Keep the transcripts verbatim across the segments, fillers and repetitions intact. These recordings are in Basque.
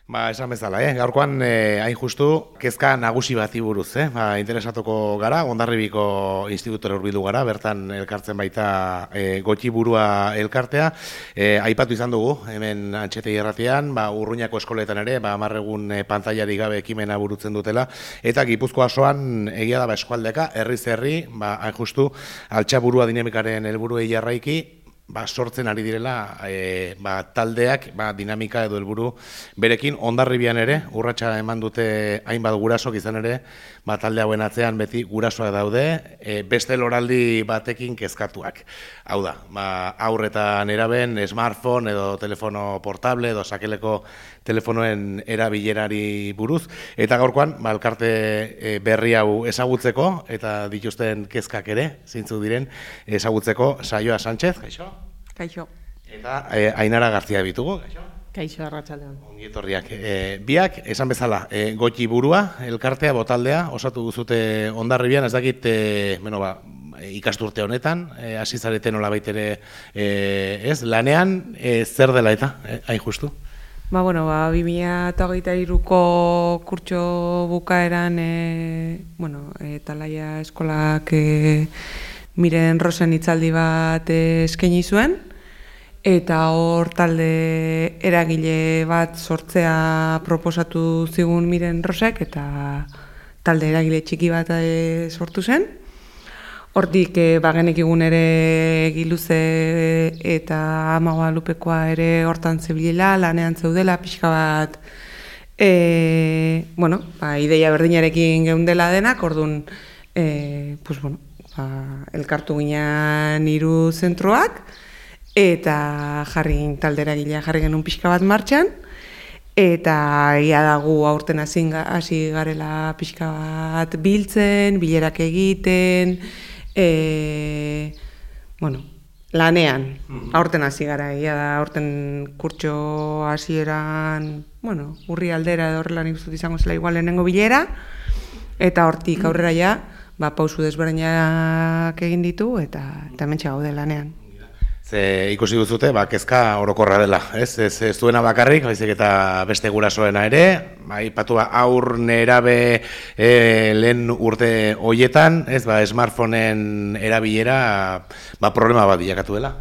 Ba, esan bezala, eh? Gaurkoan, eh, hain justu, kezka nagusi bati buruz, eh? Ba, interesatuko gara, Hondarribiko institutora hurbildu gara, bertan elkartzen baita eh, Gotxi burua elkartea. Eh, aipatu izan dugu, hemen Antxete irratian, ba, Urruñako eskoletan ere, ba, amarregun eh, pantailarik gabe ekimena burutzen dutela, eta Gipuzkoa osoan egia da ba, eskualdeka, herriz herri, ba, hain justu, altxaburua dinamikaren helburuei jarraiki, ba, sortzen ari direla e, ba, taldeak ba, dinamika edo helburu berekin. Hondarribian ere, urratsa eman dute hainbat gurasok izan ere, ba, talde hauen atzean beti gurasoak daude, e, beste loraldi batekin kezkatuak. Hau da, ba, haur eta neraben smartphone edo telefono portable edo sakeleko telefonoen erabilerari buruz, eta gaurkoan, ba, elkarte e, berri hau ezagutzeko, eta dituzten kezkak ere, zintzu diren, ezagutzeko, Saioa Sánchez, kaixo? Kaixo. Eta e, Ainara García bitugu, kaixo? Kaixo, arratsaldean. Ongi etorriak. E, biak, esan bezala, e, Gotxi burua, elkartea, botaldea, osatu duzute Hondarribian, ez dakit, e, bueno, ba, ikasturte honetan, hasi e, zareten nolabait ere, e, ez, lanean, e, zer dela eta, e, hain justu? Ba, bueno, ba, bi mila hogeita hiruko kurtso bukaeran, e, bueno, e, Talaia eskolak e, Miren Rosen hitzaldi bat e, eskaini zuen, eta hor talde eragile bat sortzea proposatu zigun Miren Rosek, eta talde eragile txiki bat e, sortu zen. Hortik, e, bagenek egun ere Giluze eta Amagoa Lupekoa ere hortan zebilela, lanean zeudela, pixka bat, e, bueno, ba, ideia berdinarekin geundela denak, orduan, e, pues, bueno, ba, elkartu ginean hiru zentroak, eta jarri talde eragilea jarri genuen pixka bat martxan, eta ia dagu aurten hasi garela pixka bat biltzen, bilerak egiten, E, bueno, lanean, aurten hasi gara, ia da, aurten kurtso hasieran, bueno, urri aldera edo horrela nik uste dut izango zela igual lehenengo bilera, eta hortik aurrera ja, ba, pausu desberdinak egin ditu, eta eta hementxe gaude lanean. Ze ikusi duzute, ba, kezka orokorra dela, ez? Ez, ez duena bakarrik, baizik eta beste gurasoena ere, aipatu ba, aur nerabe e, lehen urte hoietan, ez, ba, smartphoneen erabilera, ba, problema bat bilakatu dela.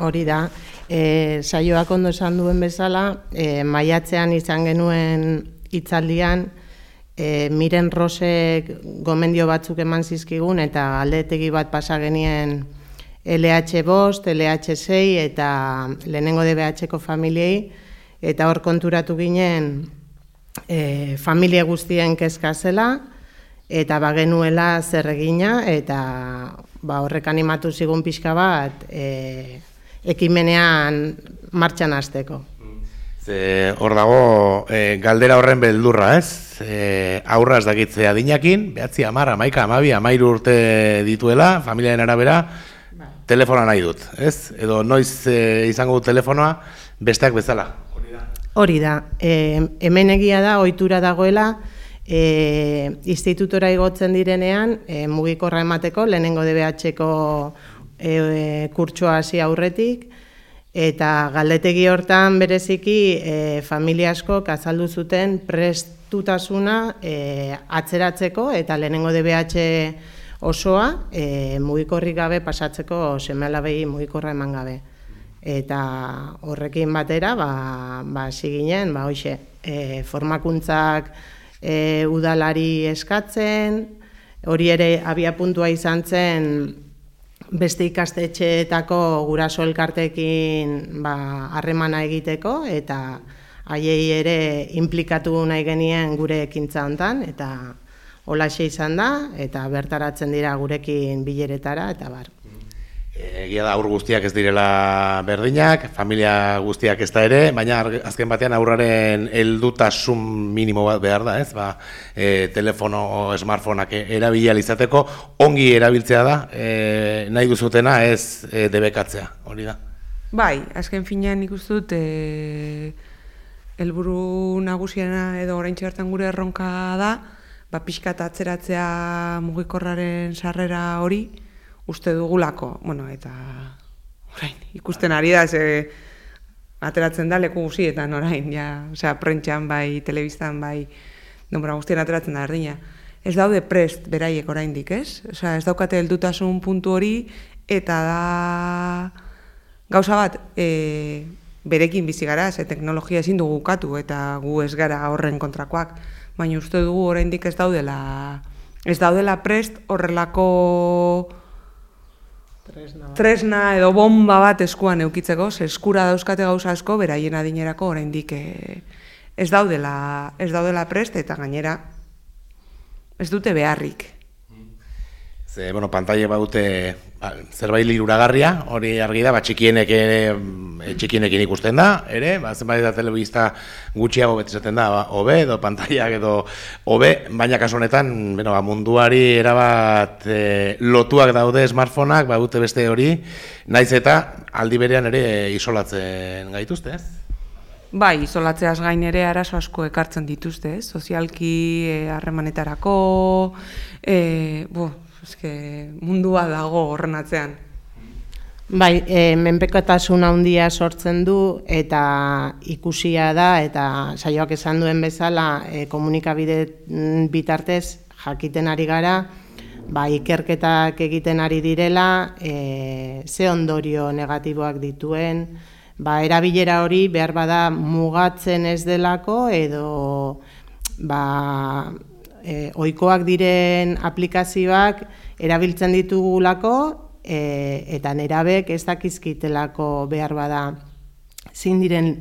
Hori da, e, saioak ondo esan duen bezala, e, maiatzean izan genuen hitzaldian, e, Miren Rosek gomendio batzuk eman zizkigun, eta aldetegi bat pasa genien L H bost, L H sei eta lehenengo D B H-ko familiei, eta hor konturatu ginen e, familia guztien kezka zela, eta bagenuela zer egina, eta ba, horrek animatu zigun pixka bat e, ekimenean martxan hasteko. Ze hor dago e, galdera horren beldurra, ez? E, aurra ez dakitze adinakin, behatzi amar, amaika, amabi, amairu urte dituela, familiaren arabera, telefonoa nahi dut, ez? Edo noiz e, izango dut telefonoa, besteak bezala. Hori da. Hori da. E, hemen egia da, ohitura dagoela, e, institutora igotzen direnean, e, mugikorra emateko, lehenengo D B H-ko e, e, kurtsoa hasi aurretik, eta galdetegi hortan bereziki e, familia askok azaldu zuten prestutasuna e, atzeratzeko, eta lehenengo D B H osoa e, mugikorrik gabe pasatzeko seme-alabei mugikorra eman gabe. Eta horrekin batera, ba, ba, ziginen, ba, hoxe, e, formakuntzak e, udalari eskatzen, hori ere abia puntua izan zen beste ikastetxeetako guraso elkartekin ba, harremana egiteko, eta haiei ere implikatu nahi genien gure ekintza hontan, eta holaxe izan da, eta bertaratzen dira gurekin bileretara, eta bar. Egia da, aur guztiak ez direla berdinak, familia guztiak ez da ere, baina azken batean aurraren heldutasun minimo bat behar da, ez? Ba, e, telefono o smartphoneak erabilia izateko, ongi erabiltzea da, e, nahi duzutena ez e, debekatzea, hori da. Bai, azken finean ikusten dut, e, helburu nagusiena edo oraintxe bertan gure erronka da, ba, pixka eta atzeratzea mugikorraren sarrera hori uste dugulako, bueno, eta orain, ikusten ari da, ze ateratzen da leku guztietan orain, ja, osea, prentxan bai, telebistan bai, denbora guztien ateratzen da erdina. Ez daude prest beraiek oraindik, ez? Osea, ez daukate heldutasun puntu hori, eta da gauza bat, e, berekin bizi gara, ze teknologia ezin dugu ukatu, eta gu ez gara horren kontrakoak, baina uste dugu oraindik ez daudela, ez daudela prest horrelako tresna, tresna edo bomba bat eskuan eukitzeko, ze eskura dauzkate gauza asko, beraien adinerako oraindik e, ez daudela, ez daudela prest, eta gainera ez dute beharrik. Ze, bueno, pantaile badute ba, zerbait liruragarria, hori argi da, ba, txikienek ere, txikienekin ikusten da, ere, ba, zenbait da telebista gutxiago beti zaten da, ba, hobe, edo pantailak edo hobe, baina kasu honetan, bueno, ba, munduari erabat e, lotuak daude smartphoneak, ba, dute beste hori, naiz eta aldi berean ere isolatzen gaituzte, ez? Bai, isolatzeaz gain ere arazo asko ekartzen dituzte, ez? Sozialki, harremanetarako, e, bo, eske, mundua dago horren atzean. Bai, e, menpekotasun handia sortzen du eta ikusia da eta saioak esan duen bezala e, komunikabide bitartez jakiten ari gara, ba, ikerketak egiten ari direla, e, ze ondorio negatiboak dituen, ba, erabilera hori behar bada mugatzen ez delako edo ba, e, ohikoak diren aplikazioak erabiltzen ditugulako e, eta nerabek ez dakizkitelako behar bada zein diren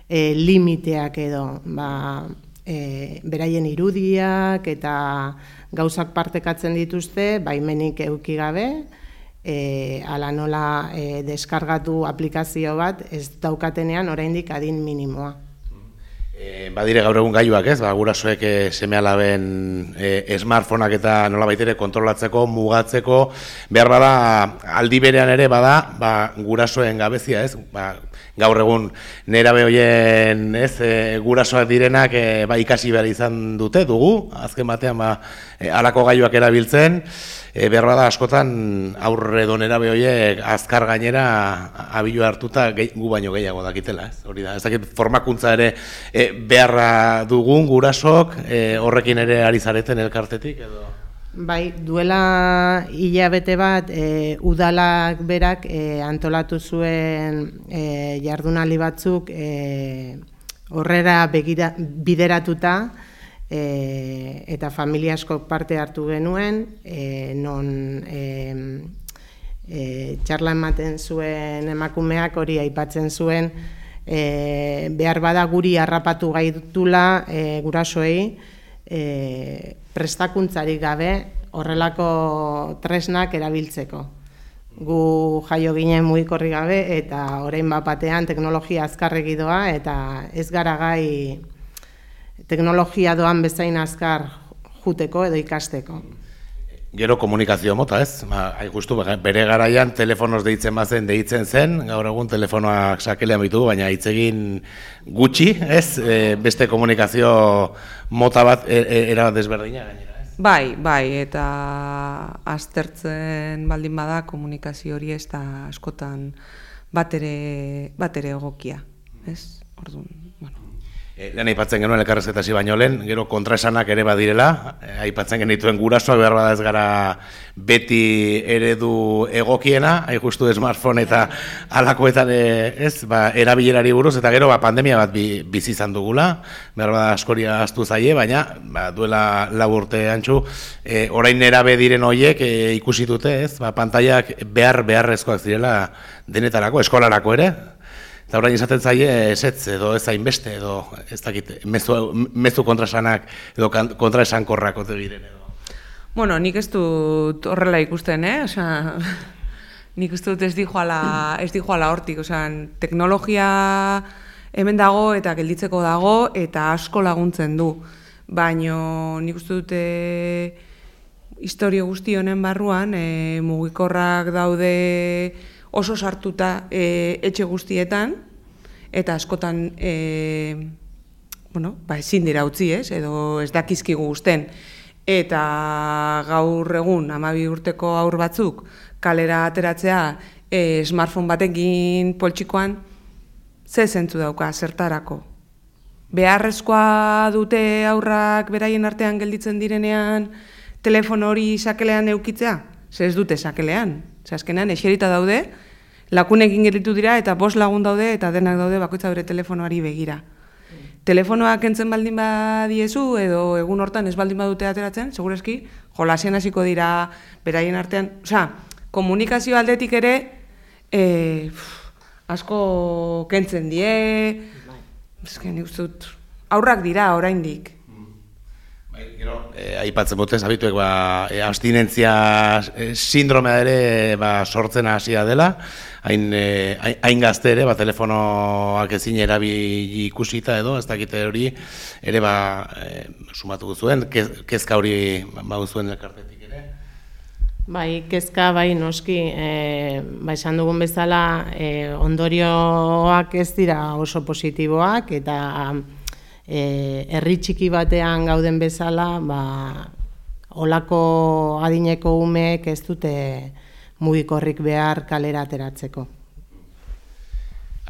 e, limiteak edo ba, e, beraien irudiak eta gauzak partekatzen dituzte baimenik eduki gabe. E, ala nola e, deskargatu aplikazio bat ez daukatenean oraindik adin minimoa. E, badire gaur egun gailuak, ez? Ba, gurasoek e, seme-alaben e, smartphoneak eta nola baitere kontrolatzeko, mugatzeko, behar bada aldi berean ere bada, ba, gurasoen gabezia, ez? Ba, gaur egun nerabe hoien, ez, e, gurasoak direnak e, ba, ikasi behar izan dute dugu, azken batean ba, e, halako gailuak erabiltzen. E, behar bada askotan aurre donera behoiek azkar gainera abilu hartuta gehi, gu baino gehiago dakitela, ez? Hori da, ez dakit formakuntza ere e, beharra dugun gurasok, e, horrekin ere ari zareten elkartetik edo? Bai, duela hilabete bat e, udalak berak e, antolatu zuen e, jardunaldi batzuk e, horrera begira, bideratuta, E, eta familia askok parte hartu genuen, e, non e, e, txarla ematen zuen emakumeak hori aipatzen zuen, e, behar bada guri harrapatu gaitula e, gurasoei e, prestakuntzarik gabe horrelako tresnak erabiltzeko. Gu jaio ginen mugikorri gabe eta orain bat batean teknologia azkarregi doa eta ez gara gai teknologia doan bezain azkar juteko edo ikasteko. Gero komunikazio mota, ez? Ba, hain justu, bere garaian telefonoz deitzen bazen, deitzen zen, gaur egun telefonoak sakelean bitugu, baina hitz egin gutxi, ez? E, beste komunikazio mota bat e, e, era desberdina gainera, ez? Bai, bai, eta aztertzen baldin bada komunikazio hori ez da askotan batere, batere egokia, ez? Orduan, bueno. E, lehen aipatzen genuen elkarrezketasi baino lehen, gero kontraesanak ere badirela, e, aipatzen genituen gurasoak behar bada ez gara beti eredu egokiena, hain justu smartphone eta alakoetan e, ez, ba, erabilerari buruz, eta gero ba, pandemia bat bi, bizi izan dugula, behar bada askoria astu zaie, baina ba, duela lau urte antxu, e, orain nerabe diren horiek e, ikusi dute, ez, ba, pantailak behar beharrezkoak zirela denetarako, eskolarako ere, eta orain izaten zaie esetz edo ez hainbeste edo ez dakit mezu, mezu kontraesanak edo kontraesankorrak ote diren edo. Bueno, nik ez dut horrela ikusten, eh? Osea, nik ez dut ez dijoala, ez dijoala hortik, osea, teknologia hemen dago eta gelditzeko dago eta asko laguntzen du. Baino nik uste dute historio guzti honen barruan e, mugikorrak daude oso sartuta e, etxe guztietan, eta askotan e, bueno, ba, ezin dira utzi, ez, edo ez dakizkigu uzten. Eta gaur egun, hamabi urteko haur batzuk, kalera ateratzea e, smartphone batekin poltsikoan, ze zentzu dauka, zertarako. Beharrezkoa dute aurrak beraien artean gelditzen direnean telefono hori sakelean eukitzea? Ze ez dute sakelean. Ze azkenean eserita daude, lakunekin gelditu dira eta bost lagun daude eta denak daude bakoitza bere telefonoari begira. Telefonoak entzen baldin badiezu edo egun hortan ez baldin badute ateratzen, segurazki jolasean hasiko dira beraien artean. Osea, komunikazio aldetik ere e, asko kentzen die, eske nik uste dut aurrak dira oraindik. Bai, gero, eh, aipatzen botez, abituek ba, eh, abstinentzia eh, sindromea ere ba, sortzen hasia dela, hain, eh, hain gazte ere, ba, telefonoak ezin erabili ikusita edo, ez dakite hori, ere ba, eh, sumatu zuen, kezka hori ba, zuen elkartetik ere. Bai, kezka, bai, noski, e, ba, esan dugun bezala, e, ondorioak ez dira oso positiboak, eta e, herri txiki batean gauden bezala, ba, olako adineko umeek ez dute mugikorrik behar kalera ateratzeko.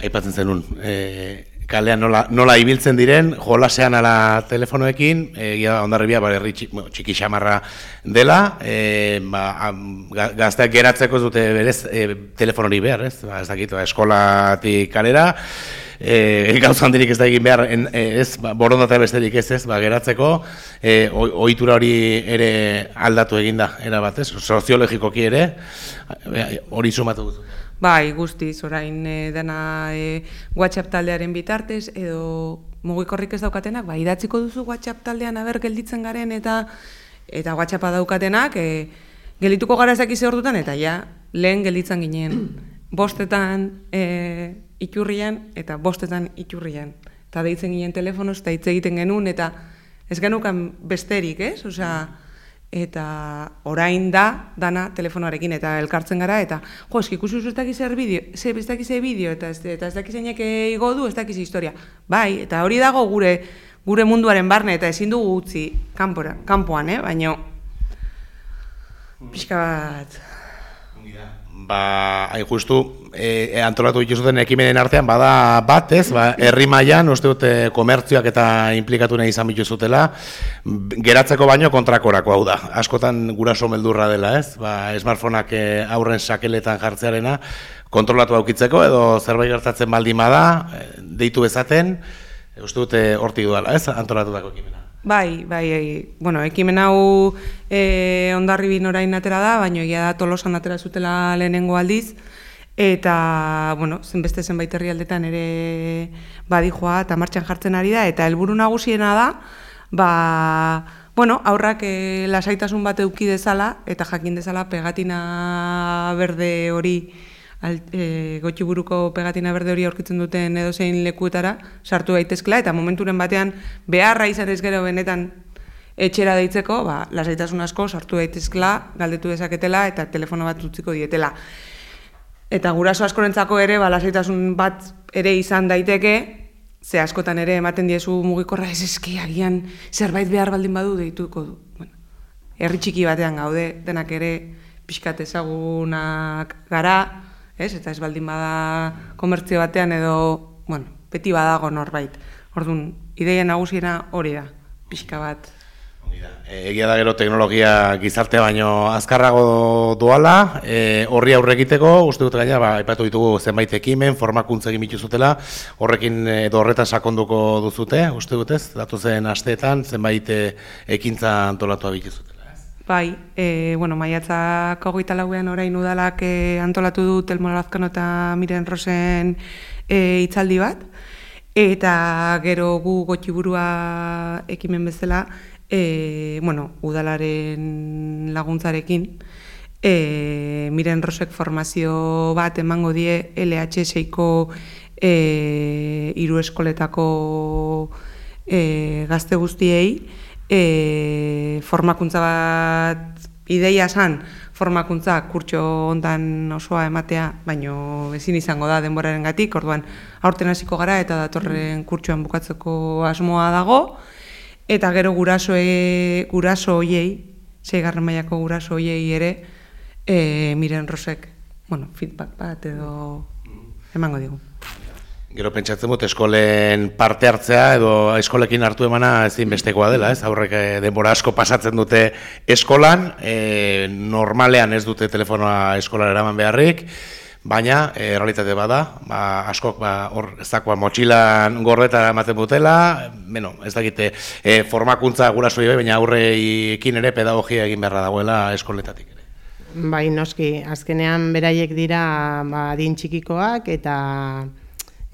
Aipatzen zenun, e, kalean nola, nola ibiltzen diren, jolasean ala telefonoekin, egia Hondarribia ba, herri txiki, bueno, txiki xamarra dela, e, ba, gazteak geratzeko dute berez e, telefonori behar, ez? Ba, ez dakit, ba, eskolatik kalera, e, gauza handirik ez da egin behar, en, ez, ba, borondatea besterik ez ez, ba, geratzeko, e, ohitura hori ere aldatu eginda, era batez, soziologikoki ere, hori sumatu duzu. Bai, guztiz, orain e, dena e, WhatsApp taldearen bitartez, edo mugikorrik ez daukatenak, ba, idatziko duzu WhatsApp taldean aber gelditzen garen eta eta WhatsAppa daukatenak, e, geldituko gara ez dakize ordutan, eta ja, lehen gelditzen ginen, bostetan e, iturrian eta bostetan iturrian. Eta deitzen ginen telefonoz, eta hitz egiten genuen, eta ez genukan besterik, ez? Osea, eta orain da dana telefonoarekin eta elkartzen gara eta jo, eski ikusi ez dakiz zer bideo, ez dakiz bideo eta ez, eta ez dakiz zeinek igo du, ez dakiz historia. Bai, eta hori dago gure gure munduaren barne eta ezin dugu utzi kanpora, kanpoan, eh, baino pixka bat. Ba, hain justu, e, antolatu dituzuten ekimenen artean, bada bat, ez, ba, herri mailan uste dute komertzioak eta inplikatu nahi izan bituzutela, geratzeko baino kontrakorako hau da. Askotan guraso meldurra dela, ez, ba, smartphoneak aurren sakeletan jartzearena, kontrolatu aukitzeko edo zerbait gertatzen baldin bada, deitu bezaten, uste dute hortik duela, ez, antolatutako ekimena. Bai, bai, bueno, ekimen hau e, Hondarribin orain atera da, baina egia da Tolosan atera zutela lehenengo aldiz, eta, bueno, zenbeste zenbait herrialdetan ere badijoa eta martxan jartzen ari da, eta helburu nagusiena da, ba, bueno, aurrak e, lasaitasun bat eduki dezala, eta jakin dezala pegatina berde hori, E, gotxiburuko pegatina berde hori aurkitzen duten edozein lekuetara sartu daitezkela eta momenturen batean beharra izan ez gero benetan etxera deitzeko, ba, lasaitasun asko sartu daitezkela, galdetu dezaketela eta telefono bat utziko dietela. Eta guraso askorentzako ere, ba, lasaitasun bat ere izan daiteke, ze askotan ere ematen diezu mugikorra ez eski agian zerbait behar baldin badu deituko du. Bueno, herri txiki batean gaude, denak ere pixkat ezagunak gara, ez? Eta ez baldin bada komertzio batean edo, bueno, beti badago norbait. Orduan, ideia nagusiena hori da, pixka bat. Egia da gero teknologia gizartea baino azkarrago doala, e, horri aurre egiteko, uste dut gaina, ba, aipatu ditugu zenbait ekimen, formakuntza egin bituzutela, horrekin edo horretan sakonduko duzute, uste dut ez, datozen asteetan zenbait ekintza antolatu bituzutela. Bai, e, bueno, maiatzak hogeita lauean orain udalak e, antolatu du Telmo Lazkano eta Miren Rosen e, hitzaldi bat, eta gero gu Gotxiburua ekimen bezala, e, bueno, udalaren laguntzarekin, e, Miren Rosek formazio bat emango die L H seiko e, hiru eskoletako e, gazte guztiei, E, formakuntza bat ideia san, formakuntza kurtso hontan osoa ematea, baino ezin izango da denborarengatik, orduan aurten hasiko gara eta datorren kurtsoan bukatzeko asmoa dago, eta gero gurasoe, guraso hoiei, seigarren mailako guraso hoiei ere, e, Miren Rosek, bueno, feedback bat edo emango digu. Gero pentsatzen dut eskolen parte hartzea edo eskolekin hartu emana ezinbestekoa dela, ez? Aurrek denbora asko pasatzen dute eskolan, e, normalean ez dute telefonoa eskolara eraman beharrik, baina e, realitate bada, ba, askok ba, hor ezakoa motxilan gordeta ematen dutela, bueno, ez dakite e, formakuntza gurasoi bai, baina aurreekin ere pedagogia egin beharra dagoela eskoletatik ere. Bai, noski, azkenean beraiek dira ba, adin txikikoak eta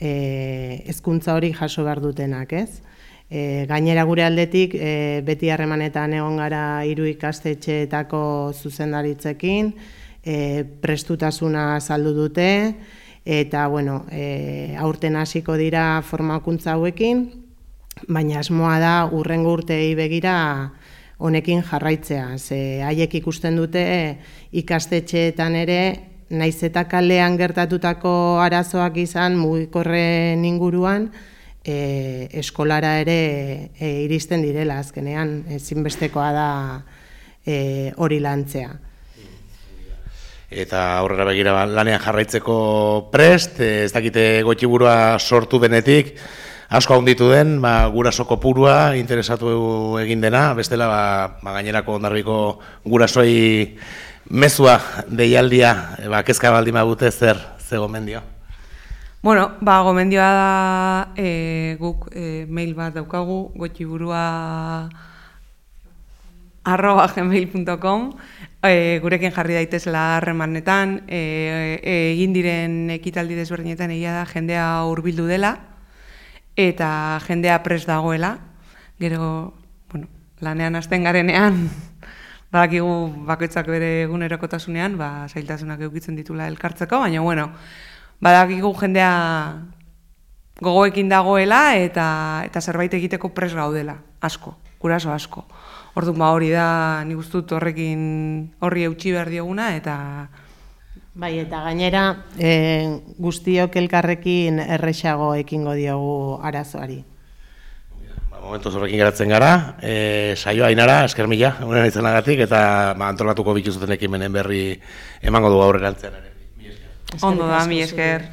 hezkuntza hori jaso behar dutenak, ez? E, gainera gure aldetik, e, beti harremanetan egon gara hiru ikastetxeetako zuzendaritzekin, e, prestutasuna saldu dute, eta, bueno, e, aurten hasiko dira formakuntza hauekin, baina asmoa da hurrengo urteei begira honekin jarraitzea. Ze haiek ikusten dute ikastetxeetan ere, naiz eta kalean gertatutako arazoak izan mugikorren inguruan, e, eskolara ere e, iristen direla, azkenean ezinbestekoa da e, hori lantzea. Eta aurrera begira lanean jarraitzeko prest, ez dakite Goitiburua sortu denetik, asko handitu den, ba, guraso kopurua interesatu egin dena, bestela ba, ba, gainerako Hondarribiko gurasoi mezua deialdia, ba, kezka baldin badute zer, ze gomendio? Bueno, ba, gomendioa da e, guk e, mail bat daukagu, goitiburua arroba gmail punto com, e, gurekin jarri daitezela harremanetan, e, e, egin diren ekitaldi desberdinetan egia da jendea hurbildu dela, eta jendea prest dagoela, gero, bueno, lanean hasten garenean, badakigu bakoitzak bere egunerokotasunean, ba, zailtasunak edukitzen ditula elkartzeko, baina, bueno, badakigu jendea gogoekin dagoela eta eta zerbait egiteko prest gaudela, asko, guraso asko. Orduan ba hori da, nik uste dut horrekin horri eutsi behar dioguna eta bai, eta gainera e, guztiok elkarrekin erresago ekingo diogu arazoari. Momentuz horrekin geratzen gara, e, saioa Ainara, esker mila, unen izanagatik, eta ba, antolatuko bituzuten ekimenen berri emango du aurrerantzean ere. Ondo da, mi esker.